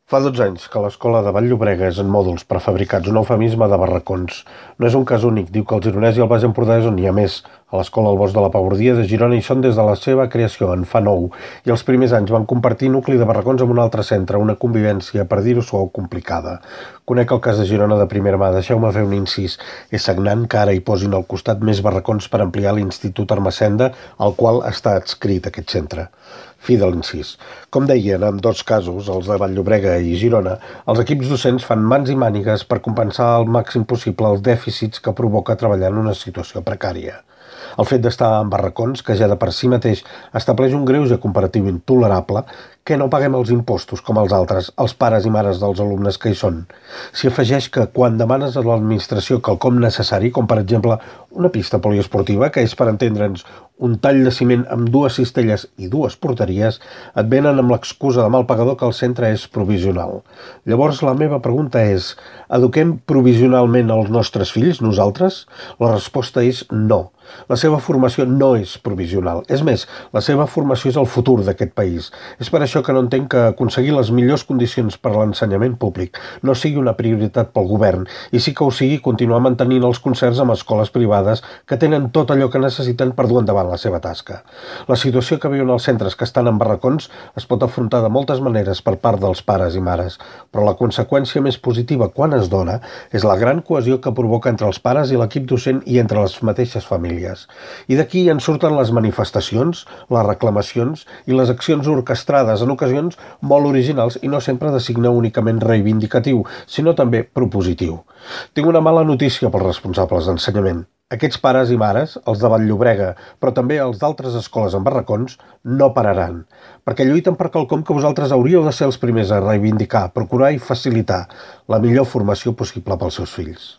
Fa 12 anys que l'escola de Vall-llobrega és en mòduls prefabricats, un eufemisme de barracons. No és un cas únic, diu que el Gironès i el Baix Empordà és on hi ha més. A l'escola El Bosc de la Pabordia de Girona hi són des de la seva creació, en fa 9, i els primers anys van compartir nucli de barracons amb un altre centre, una convivència, per dir-ho suau, complicada. Conec el cas de Girona de primera mà, deixeu-me fer un incís. És sagnant que ara hi posin al costat més barracons per ampliar l'Institut Ermessenda, al qual està adscrit aquest centre. Fi de l'incís. Com deien, en dos casos, els de Vall-llobrega i Girona, els equips docents fan mans i mànigues per compensar al màxim possible els dèficits que provoca treballar en una situació precària. El fet d'estar en barracons, que ja de per si mateix estableix un greuge comparatiu intolerable, que no paguem els impostos com els altres, els pares i mares dels alumnes que hi són. S'hi afegeix que quan demanes a l'administració quelcom necessari, com per exemple una pista poliesportiva, que és per entendre'ns un tall de ciment amb 2 cistelles i 2 porteries, et venen amb l'excusa de mal pagador que el centre és provisional. Llavors la meva pregunta és: eduquem provisionalment els nostres fills, nosaltres? La resposta és no. La seva formació no és provisional. És més, la seva formació és el futur d'aquest país. És per això que no entenc que aconseguir les millors condicions per a l'ensenyament públic no sigui una prioritat pel govern, i sí que ho sigui continuar mantenint els concerts amb escoles privades que tenen tot allò que necessiten per dur endavant la seva tasca. La situació que viuen els centres que estan en barracons es pot afrontar de moltes maneres per part dels pares i mares, però la conseqüència més positiva quan es dona és la gran cohesió que provoca entre els pares i l'equip docent i entre les mateixes famílies. I d'aquí en surten les manifestacions, les reclamacions i les accions orquestrades, en ocasions molt originals i no sempre de signe únicament reivindicatiu, sinó també propositiu. Tinc una mala notícia pels responsables d'ensenyament. Aquests pares i mares, els de Vall-llobrega, però també els d'altres escoles en barracons, no pararan, perquè lluiten per quelcom que vosaltres hauríeu de ser els primers a reivindicar, procurar i facilitar la millor formació possible pels seus fills.